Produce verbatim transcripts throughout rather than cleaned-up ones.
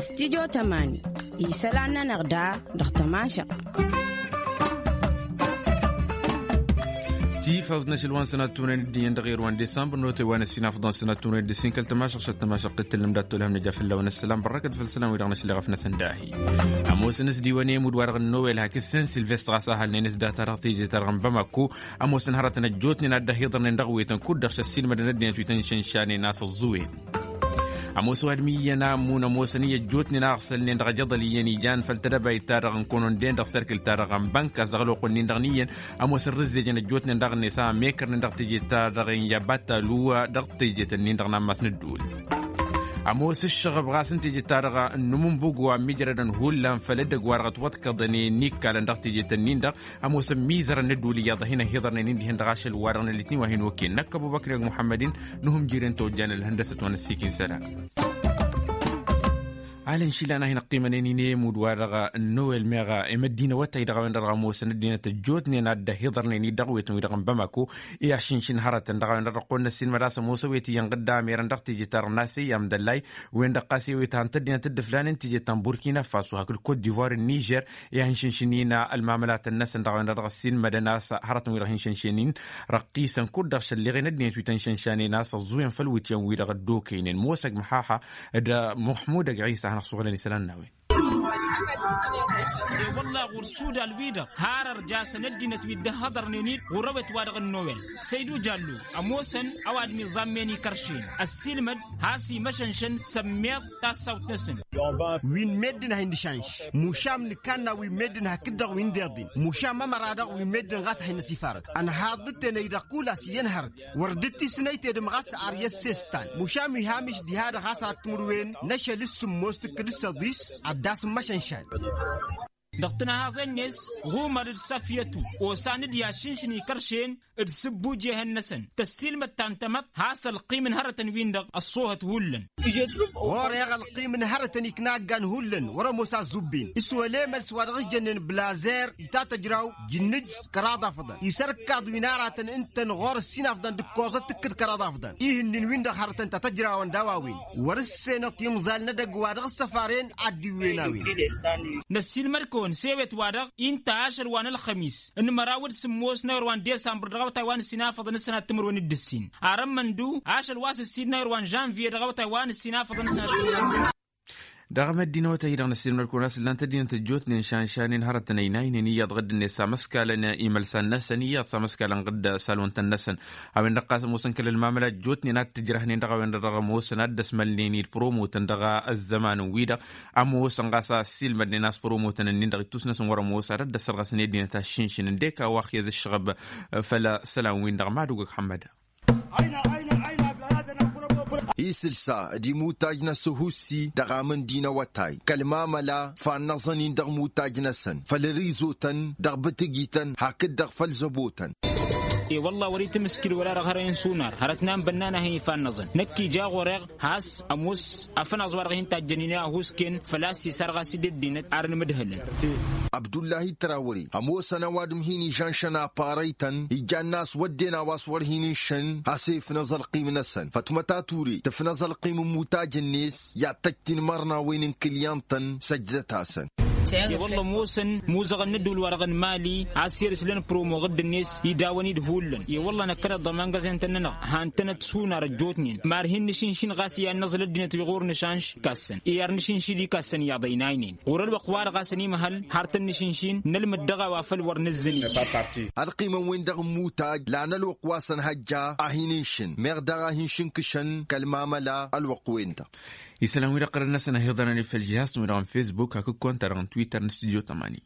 Studyo tămani isălan-nănăɣ da dăɣ-tămašăɣt. Tifawt n-ašăl wa n-sănat tunăyăn dd-iyyăn dăɣ-irwan disambăr n-otay wa n-ăssinafăḍ n-sănat tunăyăn dd-isin kăl-tămašăɣt šăt tămašăɣt tǝllăm dat-tolhăm nǝja fălla-wen ăssălam bărrăkăt făll-isălan wi-dăɣ n-ašăl iɣăf-năsăn dahi. Ămoosăn s-diwăn i-imud wa dăɣ-nowel hakd sen silvestr ɣas ăhalnen s-data dăɣ-teje-ta-dăɣ n-bamako. Ămoosăn hărătăn ăjjootnen ad-dd-ăhiḍărnen dăɣ-wetăn kud-dăɣ šăssinmădăn ăddinăt wi tăn-išănšanen a-s ăẓẓuwen. Ămoos ăwadǝm iyyăn a ămmun ămoosăn i-ăjjootnen a ăɣsălnen dăɣ-ajăḍăl iyyăn ijan făll-tedăbayt-ta-dăɣ n-kononden dăɣ-serkǝl-ta-dăɣ n-bănk a-s dăɣ-ăloqq-nin-dăɣ n-iyyăn. Ămoos ărrǝzzejăn ăjjootnen daɣ-net a ămekărnen dăɣ-tejet-ta-dăɣ n-iyyă battalu dăɣ-tejet-nin-dăɣ n-ammas n-ădduul. Ămoos ǝššăɣăb ɣas n-tejet-ta-dăɣ n-numǝnbug wa ămmijrădăn hullan făll-edăgg wa dăɣ-ătwăḍkăḍăn i-ănnikkalăn dăɣ-tejet-nin-dăɣ. Ămoosăn mizărăn n-ădduul iyyăḍ a hin-ăhiḍărnen-in dihen dăɣ-ašăl-wa-dăɣ n-ăllit n-iwa hin-okăyăn năkk ăbubăkr i-muḥămmăd-in n-uhǝmjir-en tojjan ălhăndăsăt wa n-ăssiik-in isălan. Alăn išilan a hin-ăqqimănen-in i-imud-wa-dăɣ n-nowel meɣ i-măddinăwătay dăɣ-a-wen-dăɣ ămoosăn ăddinăt ăjjootnen ad-dd-ăhiḍărnen-dd dăɣ-wetăn-wi-dăɣ n-bamako. I-ašǝnšǝn hărătăn dăɣ-a-wen-dăɣ dăɣ-kăwăn-năssin mădasăm osăwet iyyăn ɣǝdda amirăn dăɣ-teje-ta-dăɣ n-asey amdăllay wen-dăɣ ɣas ewet han tăddinăt dd-ǝflanen teje ta n-burkina faso hakd kot divoir n-nižer. I-ad-hin-šǝnšǝn-in ălmamălatăn-năsăn dăɣ-a-wen-dăɣ dăɣ-ăssiilmădăn a-s hărătăn wi-dăɣ hin-šănšen-in răqqisăn kud-dăɣ šălleɣen ăddinăt wi tăn-šănšanen a-s ăẓẓuwen făll-wǝtyan-wi-dăɣ dd-okăynen mosăg măxaxa d-muḥmud ăgg ɣisa hanăɣ-suɣǝlăn isălan n-a-wen. E-wălla ɣur-sudal-wi-dăɣ har ărjasăn ăddinăt wi dd-ăhhăḍărnen-dd ɣur-ewet-wa-dăɣ n-nowel săydu jallu ămoosăn ăwadǝm iẓammen ikăršen ăssiilmăd has-imăšănšăn sămmeḍ tassawt-năsăn. Wi n-meddǝn a hin-nǝšanš mušam nǝkanna wi n-meddǝn hakd-dăɣ wi n-deḍin mušam ămăra-dăɣ wi n-meddǝn ɣas a hin-năsifarăt ănhaḍ d-tenăy-dăɣ kul-as iyyăn hărăt wăr dd-tisnăy tedǝm ɣas ar i-ăssestan mušam ihamǝš diha-dăɣ ɣas ad-timǝrwen n-ašăl s-sǝmmos tǝkkǝd s-ăḍis ad-dd-asǝmmăšănšan. Dăɣ-tǝnhaẓen-net ɣumăr d-săfyătu osan d-i-ad-šǝnšǝn ikăršen d-sǝbbujehăn-năsăn tăssiilmăd ta n-tamăḍt has-ălqim n-hărătăn-win-dăɣ ăṣṣoohăt hullan. Ɣur-eɣ ălqim n-hărătăn iknaggan hullan wăr-ămoos a ăzzubbin s-wăla emăls wa dăɣ-s jănnen blazer itatăjraw jǝnnǝj kăraḍ afḍăn isărkaḍ wi n-aratăn ǝntăn ɣur-ăssinafḍăn d-ǝkkoẓăt tǝkkǝd kăraḍ afḍăn ihǝnnin-win-dăɣ hărătăn tatăjrawăn d-a-wa-wen. Wăr-ǝssenăɣ timẓal n-edăgg wa dăɣ-ăssăfaren ad-dd-iwwen a-wen. Năssiilmăd-kăwăn s-ewet-wa-dăɣ inta ašăl wa n-ălxămis n-măraw d-sǝmmos n-ayǝr wa n-desambăr dăɣ-awătay wa n-ǝssin afăḍăn s-sănat timǝrwen d-ǝssin. Arămmăn-du ašăl wa s-ǝssin n-ayǝr wa n-žănviye dăɣ-awătay wa n-ǝssin afăḍăn s-sănat timǝrwen. Dăɣ-măddinăwătay-i-dăɣ năssiilmăd-kăwăn a-s ǝllan tăddinăt ăjjootnen šanšanen hărătăn ăynaynen iyyăḍ ɣǝdd-net a măskalăn imălsan-năsăn iyyăḍ s-amăskalăn ɣǝdd salwăn-tăn-năsăn. A-wen-dăɣ ɣas ămoosăn kăl-ălmamăla ăjjootnen ad-t-ǝjrăhnen dăɣ-a-wen-dăɣ ămoosăn ad-dd-ăsmălnen-dd păromotăn dăɣ-ăzzăman-wi-dăɣ. Ămoosăn ɣas a ăssiilmădnen a-s păromotăn-nin-dăɣ ittus-năsăn wăr-ămoos ad-ăddăsărɣăsnen ăddinăt a ăššinšǝn ǝndek a-wa ăxyăz ǝššăɣăb. Făll-isălan-win-dăɣ madugăg ḥămmăda. Isǝlsa d-imutaj n-asǝhussi dăɣ-amǝndi n-awătay kăl-mamăla fannăẓăn-in dăɣ-imutaj-năsăn făll-rizotăn dăɣ-bǝtǝgităn hakd-dăɣ făll-zăbotăn. E-wălla wăr-itǝmǝskǝl wăla dăɣ-hărăyăn sunar hărăt n-anbănnan a hin-ifannăẓăn năkk ija ɣur-eɣ has-ămoos afănaẓ wa dăɣ-hin-tajjănen i-ahusken făl-a-s isarɣas-dd ăddinăt ar nǝmǝdhǝlăn. Abdullahi trawre ămoosăn ăwadǝm hin-ižănšăn aparăy-tăn ijanna a-s wădden a-wa s-wăr hin-ǝnšăn has-efnăẓ ălqim-năsăn fătmăt ature tǝfnăẓ ălqim n-imutaj-net i-ad-tăjj tinmărnawen n-kǝlyăn-tăn săjdăt-asăn. I-wălla ămoosăn muzăɣăn n-ădduul-wa-dăɣ n-mali a-s erǝslăn promo ɣǝdd-net idawăn-dd hullan i-wălla năkkăneḍ d-amăngăẓen-tăn-nănăɣ han-tănăt sunar ăjjootnen mar hin-nǝšǝnšin ɣas i-ad-năẓǝl ăddinăt wi ɣur-nǝšanš ikassăn i-ad-nǝšǝnšin ikassăn iyyăḍ ăynaynen ɣur-ălwăqq-wa-dăɣ a-s ănimăhăl har tăn-nǝšǝnšin nălmǝd dăɣ-a-wa făl wăr nǝzzǝni. Ălqimăn-wen-dăɣ n-imutaj lan ălwăqq wa s-ănhăjja a hin-ǝnšǝn meɣ daɣ a hin-šǝnkǝšăn kăl-mamăla ălwăqq-wen-dăɣ. Isălan-wi-dăɣ qărăn-năsăn ăhiḍărăn i-făll-žihaz-tăn wi-dăɣ n-fesbuk hakd konta-dăɣ n-twitter n-studyo tămani.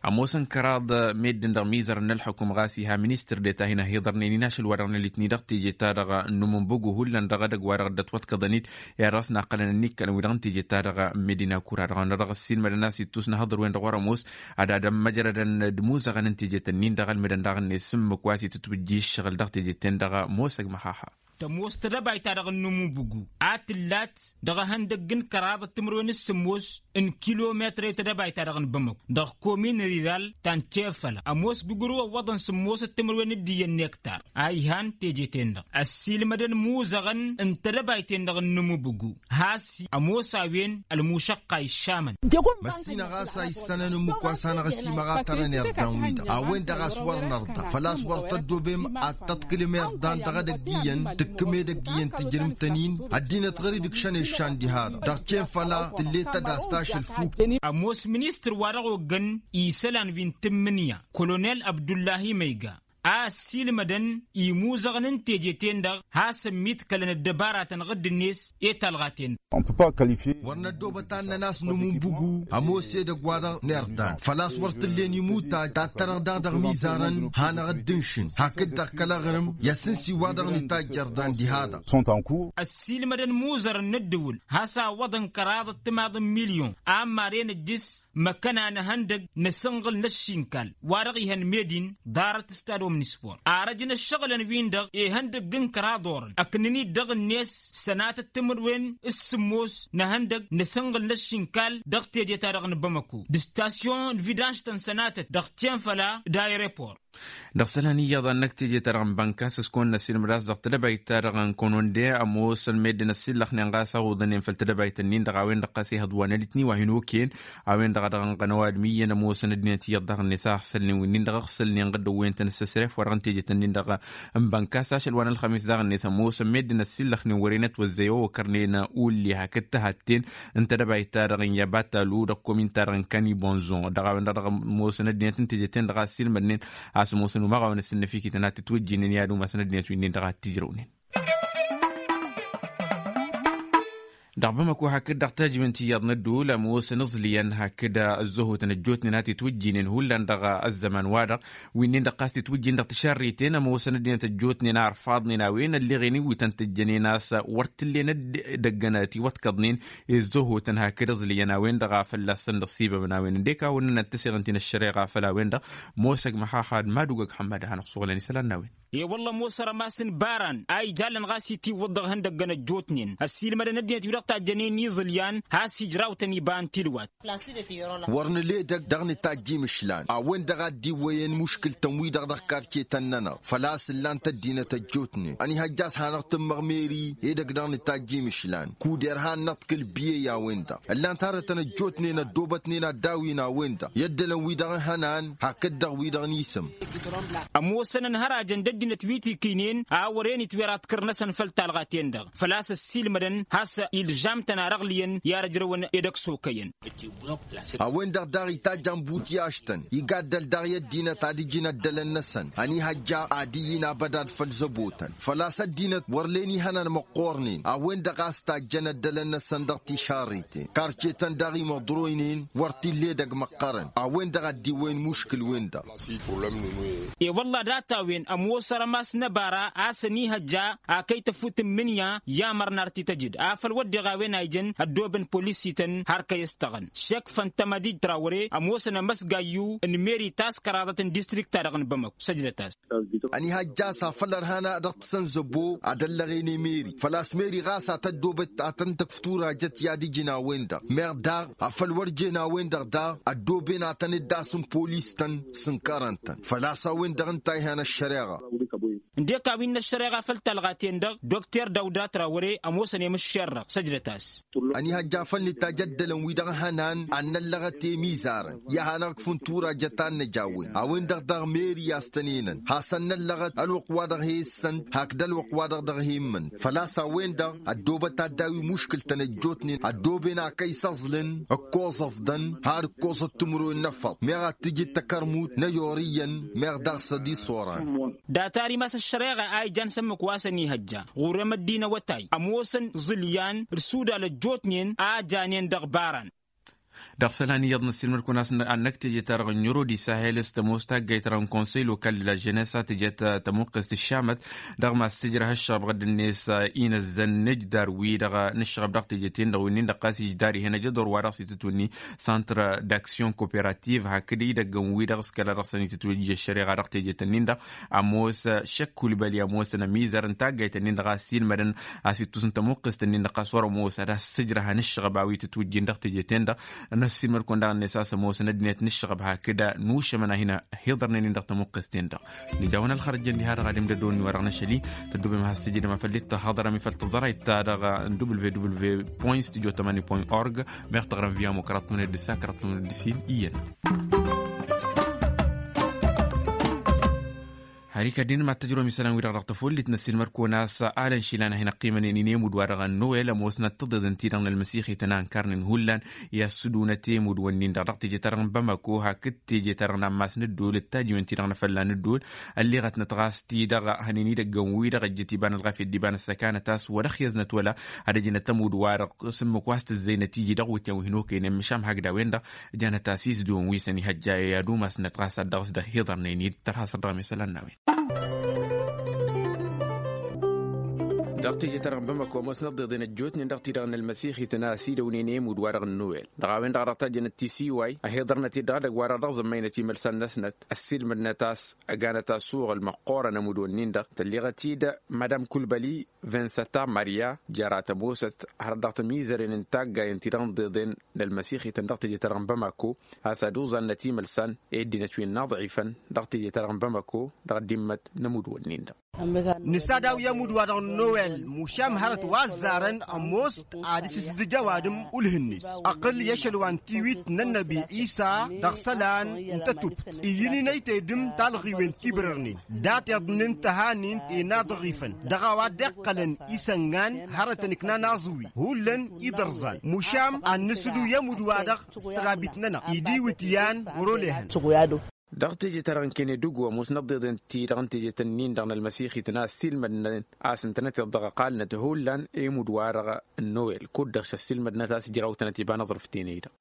Ămoosăn kăraḍ meddǝn dăɣ-mizărăn n-ălḥukum ɣas iha ministăr deta hin-ăhiḍărnen-in ašăl wa dăɣ-nălitni dăɣ-teje-ta-dăɣ n-umǝnbăgu hullan dăɣ-edăgg wa dăɣ-dd-ătwăḍkăḍăn-dd i-ad-dăɣ-s naqqălăn ănnikkălăn wi dăɣ-n teje-ta-dăɣ n-medina kura dăɣ-a-wen-dăɣ dăɣ-ăssiilmădăn a-s ittus n-ahǝḍǝr-wen-dăɣ wăr-ămoos ad-ad-ămmăjrăd d-imuzăɣăn n-tejet-nin-dăɣ ălmǝdăn daɣ-net s-ǝmmǝk wa s-itǝtwǝjji ǝššăɣǝl dăɣ-tejet-ten-dăɣ mosăg măhaha. Tămoos tedăbayt-ta-dăɣ n-inǝmubǝgu a tǝllat dăɣ-ehăndăgg n-kăraḍăt timǝrwen s-sǝmmos n-kilometăr i-tedăbayt-ta-dăɣ n-bamăko dăɣ-komin riral ta n-tefăla. Ămoos gugǝrǝw ăwwăḍăn sǝmmosăt timǝrwen d-iyyăn n-ektar a ihan teje-ten-dăɣ ăssiilmădăn imuzăɣăn n-tedăbayt-en-dăɣ n-inǝmubǝgu has-i ămoos a-wen ălmušăqqa iššamăn. Măssinăɣ a-s a issănăn ǝmmǝk wa s-hanăɣ-ăsimăɣ a tărăn irdan-wi-dăɣ a-wen-dăɣ a-s wăr nărḍa făl-a-s wăr tăddobem ad-tăḍkǝlǝm irdan dăɣ-edăgg iyyăn tǝkkǝm edăgg iyyăn tǝjrǝm-tăn-in. Ăddinăt ɣur-i dăɣ-šăn eššan diha-dăɣ dăɣ-ten făla tǝllet ad-astašăl fuk. Ămoos ministăr wa dăɣ-oggăn isălan wi n-tǝmmǝnǝya kolonel abdullahi măyga a ăssiilmădăn imuzăɣăn n-teje-ten-dăɣ has-ămmiḍkălăn ăddăbaratăn ɣǝdd-net i-talɣa-ten-dăɣ. Wăr năddoobăt ad-năn-as nǝmunbǝgu ămoos edăgg-wa-dăɣ n-irdan făl-a-s wăr t-ǝllen imutaj tattărăɣ daɣ dăɣ-imizarăn hanăɣ-dd-ǝnšǝn hakd-dăɣ kăl-aɣrǝm i-asǝnsi wa-dăɣ n-itajj irdan diha-dăɣ. Ăssiilmădăn imuzărăn n-ǝddǝwǝl has-a ǝwwăḍăn kăraḍăt timaḍ n-milyon a ămmaren ǝjjǝs măkkăna n-ehăndăg n-asǝnɣǝl n-ăššinkal wa-dăɣ ihăn medin ḍarăt s-tadom n-ispor arăj n-ăššăɣǝlăn-win-dăɣ ihăndăgg n-kăraḍ orăn ăknăn-dd dăɣ-net sănatăt timǝrwen s-sǝmmos n-ehăndăg n-asǝnɣǝl n-ăššinkal dăɣ-teje-ta-dăɣ n-bamăko d-stasyon n-vidanš-tăn sănatăt dăɣ-tenfăla d-aerepor. Dăɣ-isălan iyyăḍ a ǝnn-ăkk teje-ta-dăɣ n-bănkas s-kăwăn-năsilmăd a-s dăɣ-tedăbayt-ta-dăɣ n-kăwăn-wănde ămoosăn meddǝn ăssillăxnen ɣas a uḍănen făll-tedăbayt-ǝnnin-dăɣ a-wen-dăɣ ɣas ihăḍ wa n-elitni wa hin-okăyăn a-wen-dăɣ a dăɣ-ănɣănăw adǝm iyyăn ămoosăn ăddinăt iyyăḍ daɣ-net a ăɣsălnen wi-nin-dăɣ ăɣsălnen ɣǝddǝwwen-tăn s-ăsref wa dăɣ-n tejet-ǝnnin-dăɣ n-bănkas ašăl wa n-ălxămis daɣ-net ămoosăn meddǝn ăssillăxnen wăren ătwăzzăyăn okărnen ulli hakd tăhatten n-tedăbayt-ta-dăɣ n-yabatalu dăɣ-komin-ta-dăɣ n-kani bonzon dăɣ-a-wen-dăɣ dăɣ-ămoosăn ăddinăt n-tejet-en-dăɣ a ăssiilmădnen a-s ămoosăn umaɣ a-wen ăsǝnnăfikităn ad-tǝtwǝjjinen i-ad-umasăn ăddinăt wi-nin-dăɣ ad-t-ǝjrăwnen. Dăɣ-bamăko hakd dăɣ-tajǝment iyyăḍ n-ădduul ămoosăn iẓlǝyăn hakd ăzzăhotăn ăjjootnen ad-t-itwǝjjinen hullan dăɣ-ăzzăman-wa-dăɣ wi-nin-dăɣ ɣas titwǝjjin dăɣ-tišarriten ămoosăn ăddinăt ăjjootnen a ărfaḍnen a-wen ălleɣen iwǝtăn tǝjjănen a-s wăr t-ǝllen dd-ăggănăt iwăḍkăḍnen i-ăzzăhotăn hakd iẓlǝyăn a-wen-dăɣ a fălla-săn dăɣ-sibăbăn a-wen ǝndek a wănnăn ad-t-ăseɣ ǝnta-in ăššăreɣa făll-a-wen-dăɣ. Mosăg măxaxad madug ăgg ăxămmad ad-hanăɣ-suɣǝlăn isălan n-a-wen. E-wălla ămoos rămas n-baran a ijalăn ɣas itiwǝḍ dăɣ-ihăndăggăn ăjjootnen ăssiilmădăn ăddinăt wi-dăɣ tajjănen iẓǝlyan has-ijrawtăn iba n-tilwat. Wăr nǝla edăgg dăɣ-nǝtajj imǝšlan a-wen-dăɣ a dd-iwwăyăn muškǝl-tăn-wi-dăɣ dăɣ-karce-tăn-nănăɣ făl-a-s ǝllan-t ăddinăt ăjjootnen ănihăjja a-s hanăɣ-tǝmmăɣ meri edăgg dăɣ-nǝtajj imǝšlan kuder han-năḍkǝl biyăy a-wen-dăɣ ǝllan-t hărătăn ăjjootnen ăddoobătnen ad-dawin a-wen-dăɣ i-ăddălăn wi-dăɣ n-ihănan hakd-dăɣ wi-dăɣ n-isǝm. Ămoosăn ănhărajăn d-ăddinăt wi t-ikǝynen a wăren itwera tkăr-năsăn făll-talɣa-ten-dăɣ făl-a-s ăssiilmădăn has-ilžam-tăn ar ăɣlǝyăn i-ad-ăjrăwăn edăgg s-okăyăn. A-wen-dăɣ daɣ itajjan butyaš-tăn igaddăl daɣ i-ăddinăt ad-ǝjǝn ăddălăn-năsăn ănihăjja ad-ǝyyǝn abădad făll-zăbo-tăn făl-a-s ăddinăt wăr len ihănan măqqoornen a-wen-dăɣ a-s tajjăn ăddălăn-năsăn dăɣ-tišarriten karcetăn daɣ imăḍroynen wăr t-illa edăgg măqqărăn a-wen-dăɣ a dd-iwwăyăn muškǝl-wen-dăɣ. E-wălla data-wen ămoos rămas n-ăbara a-s ănihăjja a kăy-tăfut n-imǝnya i-amăr n-ar t-tăjǝd afăl wădden a-wen a ijăn ăddoobăn polis-ităn har kăy-ăstăɣăn šek făntămădij trawăre ămoosăn amăsgayyu n-meri ta s-kăraḍăt n-distrikt-ta-dăɣ n-bamăko săjdăt-as. Ănihăjja a-s afăl ărhan a dăɣ-tǝsăn zăbo ad-ăllăɣen i-meri făl-a-s meri ɣas a tăddoobăt ad-tăn-tăkf turajăt i-ad-ijǝn a-wen-dăɣ meɣ daɣ afăl wăr jen a-wen-dăɣ daɣ ăddooben ad-tăn-dd-asǝm polis-tăn s-ǝnkărăn-tăn făl-a-s a-wen-dăɣ ǝnta a ihan ăššăreɣa. Ǝndek a-wi n-ăššăreɣa făll-talɣa-ten-dăɣ dokter dawda trawăre ămoosăn i-mǝššerrăɣ săjdăt-as. Ănihăjja făl nǝtajj ăddălăn-wi-dăɣ hănan ad-năllăɣăt i-imizarăn i-ad-hanăɣ-ǝkfǝn turajăt ta n-năj a-wen a-wen-dăɣ daɣ meri a-s tăn-enăn hasăn-năllăɣăt ălwăqq-wa-dăɣ he-ǝssăn hakd ălwăqq-wa-dăɣ dăɣ-he-immǝn făl-a-s a-wen-dăɣ ăddoobăt ad-daw-i muškǝl-tăn ăjjootnen ăddooben a kăy-săẓlǝn ǝkkoẓăḍ-dăn har ǝkkoẓăt timǝrwen n-efăḍ meɣ ad-tǝjǝd takărmut n-ăyor iyyăn meɣ daɣ s-ad-isoran. Data-ri ma s-ăššăreɣa a ijan s-ǝmmǝk wa s-ănihăjja ɣur-emăddin awătay ămoosăn iẓǝlyan d-sudal ăjjootnen a janen dăɣ-baran. Dăɣ-isălan iyyăḍ n-ăssiilmăd-kăwăn a-s n-ad-năkk teje-ta-dăɣ n-yurodi sahel s-tămoos taggayt-ta-dăɣ n-konsey lokal la jenesa teje-ta tămuqqest ǝššamăt dăɣ-ma s-tǝjrăh ǝššăɣăb ɣǝdd-net inăzzăn n-ǝjdar-wi-dăɣ n-ǝššăɣăb dăɣ-teje-ten-dăɣ wi-nin-dăɣ ɣas ijdar ihăn ajăḍor wa dăɣ-s itǝtwǝnni, centre d'action coopérative hakd idăgg n-wi-dăɣ s-kăla dăɣ-săn itǝtwǝjj ăššăreɣa dăɣ-teje-tăn-in-dăɣ. Ămoos šăkkulbăli ămoosăn ămizăr n-taggayt-ǝnnin-dăɣ a-s ilmădăn a-s ittus n-tămuqqest-ǝnnin-dăɣ ɣas wăr-ămoos ad-has-sǝjrăhăn ǝššăɣăb a-wi tǝtwǝjjin dăɣ-teje-ten-dăɣ. N-ăssiilmăd-kăwăn daɣ-net a-s ămoosăn ăddinăt n-ǝššăɣăb hakd nušămăn a hin-hiḍărnen-in dăɣ-tămuqqest-ten-dăɣ. Nǝja-wăn ălxărăjjăn diha-dăɣ ad-imdădon-ni wa-dăɣ n-ašăl-i tăddubem ad-has-tǝjǝdem afăl dd-tăhhăḍărăm i-făl tăẓrayt-ta-dăɣ n-www point studio tămani point org. Meɣ tăɣrăm via mukratun d-sa kratun d-sin iyyăn. Har ikad-in mad-tăjrăwăm isălan-wi-dăɣ dăɣ-tăfollit n-ăssiilmăd-kăwăn a-s alăn išilan a hin-ăqqimănen i-nemud-wa-dăɣ n-nowel ămoosnăt tǝḍeḍen-ti-dăɣ n-ălmăsixităn a ǝnkărnen hullan. I-ad-sǝdunăt i-emud-wăn-in-dăɣ dăɣ-teje-ta-dăɣ n-bamako hakd teje-ta-dăɣ n-ammas n-ăddol d-tajiwen-ti-dăɣ n-afălla n-ăddol. Ălleɣătnăt ɣas-ti-dăɣ hănen idăggăn-wi-dăɣ ăjjăt iba n-ălɣafyăt d-iba n-ăssăkanăt a-s wăr-ăxyăznăt wăla ad-ăjnăt ămud-wa-dăɣ s-ǝmmǝk wa s-tǝzzăynăt iji dăɣ-iwǝtyan wi hin-okăynen măšan hakd a-wen-dăɣ. Janăt-as isdǝwăn wi săn ihăjja i-ad-umasnăt ɣas ad-dăɣ-s dăɣ-hiḍărnen-dd tărha săr dăɣ-mesălan n-a-wen. Dăɣ-teje-ta-dăɣ n-bamako ămoosnăt ḍeḍen ăjjootnen dăɣ-ti-dăɣ n-ălmăsixităn a ăsidăwnen i-emud-wa-dăɣ n-nowel dăɣ-a-wen-dăɣ a dăɣ-tajjănăt tisiway ăhiḍărnăt-dd dăɣ-edăgg-wa-dăɣ dăɣ-zămmăynăt imălsan-năsnăt. Ăssiilmădnăt a-s ăganăt assuɣǝl măqqoorăn ămud-wǝnnin-dăɣ tălleɣăt-dd madam kulbăli vinsăta marya jăra tămoosăt hărăt dăɣ-tămizăren n-taggayen-ti-dăɣ n-ḍeḍen n-ălmăsixităn dăɣ-teje-ta-dăɣ n-bamako a-s ad-uẓannăt imălsan i-ăddinăt wi n-inaḍɣifăn dăɣ-teje-ta-dăɣ n-bamako dăɣ-dimmăt n-ămud-wǝnnin-dăɣ. Nǝsadaw i-ămud-wa-dăɣ n-nowel mušam hărăt wa ăzzarăn ămoos-t ad-ǝssǝsdǝj ăwadǝm ulh-net ăqqǝl i-ašăl wa n-tiwit n-ănnăbi isa dăɣ-isălan n-tătubt iyyǝn-in ăytedǝm talɣiwen tibrărnen dat-iḍnen tăhanint i-inaḍɣifăn dăɣ-a-wa dd-iqqălăn isăngan hărătăn ǝknan aẓwi hullan idărẓan mušam ad-nǝsǝdu i-ămud-wa-dăɣ s-tădabit-nănăɣ idiwǝt yan wăr-olehăn. Dăɣ-teje-ta-dăɣ n-kene dăgg-wa ămoosnăt ḍeḍen-ti-dăɣ n-teje-tăn-in-dăɣ n-ălmăsixităn a ăssiilmădnăt a-s ǝntănăteḍ dăɣ-ăqalnăt hullan i-imudd-wa-dăɣ n-nowel kud-dăɣ šăssiilmădnăt a-s ǝjrawtănăt iba n-aẓrǝf tenăy-dăɣ.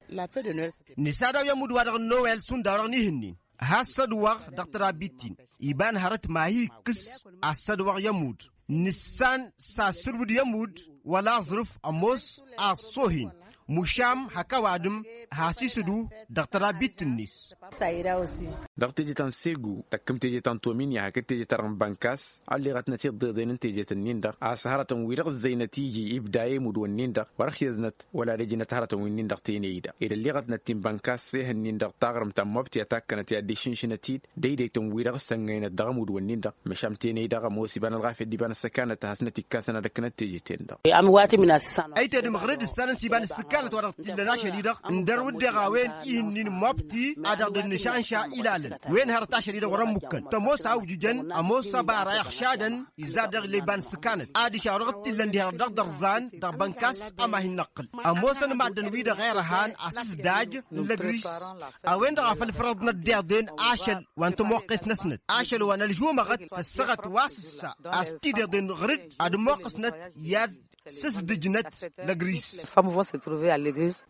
Nǝsadaw i-imudd-wa-dăɣ n-nowel šund a-wa-dăɣ n-ihǝnnin has-sădwăɣ dăɣ-tărabbit-in iba n-hărăt ma hi-ikkǝs. Ad-sădwăɣ i-ămudd nǝssan s-asǝrwǝd i-ămudd wăla aẓrǝf ămoos a ăṣṣohen mušam hak ăwadǝm has-isǝdu dăɣ-tărabbit-net. Dăɣ-teje ta n-segu tăkkǝm teje ta n-tominya hakd teje ta dăɣ-n bănkas ălleɣătnăt i-ǝḍḍeḍen n-teje-tăn-in-dăɣ a-s hărătăn wi-dăɣ ǝzzăynăt iji ibda i-imudd-wǝnnin-dăɣ wăr-ăxyăznăt wăla ad-ăjnăt hărătăn wi-nin-dăɣ tenăy-dăɣ ed ălleɣătnăt ti n-bănkas s-ehăn-nin-dăɣ taɣrǝmt ta n-mobti a takkănăt i-ad-dd-išǝnšǝnăt-dd. Dăydăytăn-wi-dăɣ ǝssăngăynăt dăɣ-ămudd-wǝnnin-dăɣ măšan tenăy-dăɣ ămoos iba n-ălɣafyăt d-iba n-ăssăkanăt a hasnăt-ikkasăn ad-ăkkănăt teje-ten-dăɣ. Ăytedăm ɣǝrǝd ǝssanăn s-iba n-ăssăkanăt wa dăɣ-t-illăn ašăl-i-dăɣ ǝndăr wǝdden a-wen ihǝnnin n-mobti a dăɣ-dd-nǝšanša ilalăn wen hărăt ašăl-i-dăɣ wăr-ămmukkăn tămoos a ujǝjăn ămoos ăbara iɣšadăn. Iza dăɣ-illa iba n-ǝssǝkanăt adiš a-wa dăɣ-t-illăn diha-dăɣ dăɣ-dărzan dăɣ-bănkas ăma hin-năqqǝl ămoosăn maddǝn-wi-dăɣ irhan asǝsdaj n-lăgris a-wen-dăɣ a făl fărăḍnăt deḍen ašăl wa n-tămoqqes-năsnăt ašăl wa n-ălžumăɣăt s-ăssaɣăt wa s-ǝssa a-s t-ideḍen ɣǝr-dd ad-ămmoqqăsnăt i-ad-sǝsdǝjnăt lăgris.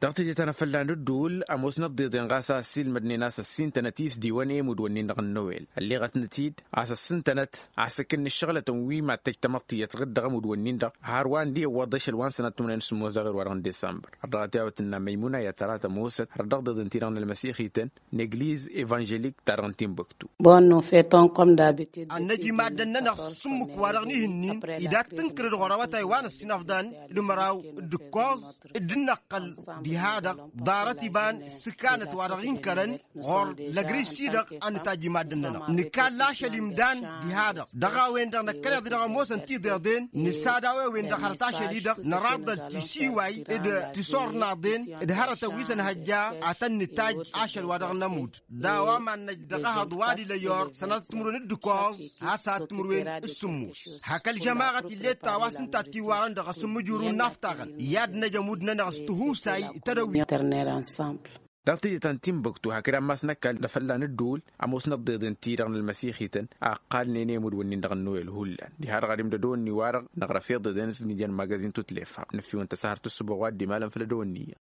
Dăɣ-teje ta n-afălla n-ǝddul ămoosnăt deḍen ɣas a ăssiilmădnen a-s ăssintănăt isdiwăn i-imudwăn-in-dăɣ n-nowel ălleɣătnăt-dd a-s ăssintănăt a-s ǝkǝnna ǝššăɣlătăn wi mad-tăj tamăḍt iyyăt ɣǝr-dd dăɣ-imudwăn-in-dăɣ har wa ǝndiwăḍ ašăl wa n-sănat tumnen s-ămoos dăɣ-ewăr wa dăɣ-n desămbăr. Ărdăɣăt i-a-wa tǝnna măymuna i-ad-tăra tămoosăt har dăɣ-deḍen-ti-dăɣ n-ălmăsixităn n-egliz evanželik-ta-dăɣ n-timbuktu. Ad-năj i-maddǝn-nănăɣ s-ǝmmǝk-wa-dăɣ n-ihǝnnin idak tǝnkǝrăd ɣur-awătay wa n-ăssinăfḍan d-măraw d-ǝkkoẓ d-dd-năqqăl diha-dăɣ ḍarăt iba n-sǝkanăt wa dăɣ-inkărăn ɣur-lăgris-i-dăɣ. A nǝtajj i-maddǝn-nănăɣ nǝkall ašăl imdan diha-dăɣ dăɣ-a-wen-dăɣ năkkăneḍ-i-dăɣ ămoosăn tiḍeḍen nǝsad a-wen-dăɣ hărăt ašăl-i-dăɣ năraḍăl tisiway d-tisornaḍen d-hărătăn wi s-ănhăjja ad-tăn-nǝtajj ašăl wa dăɣ-nămudd d-a-wa mad-năj dăɣ-ehăḍ wa d-ilăyor sănatăt timǝrwen d-ǝkkoẓ has-ad-timǝrwen d-sǝmmos. Hak ălžămaɣăt ill'-e d-ta wa s-ǝnta tiwarăn dăɣ-asǝmmǝjuru n-inaftaɣăn i-ad-năj ămudd-nănăɣ s-tihusay d-tedăwit. Dăɣ-teje ta n-timbuktu hakd ammas n-ăkall d-afălla n-ǝddul ămoosnăt deḍen-ti-dăɣ n-ălmăsixităn a ǝqqalnen i-imǝdwǝnnin-dăɣ n-nowel hullan diha-dăɣ ad-imdădăwăn-ni-wa-dăɣ năɣrăf i-ḍeḍen s-nǝjăn magazin tutlefa nǝffiwăn tăsahărt ǝssǝboɣ wa dd-imalăn făll-ădăwănni.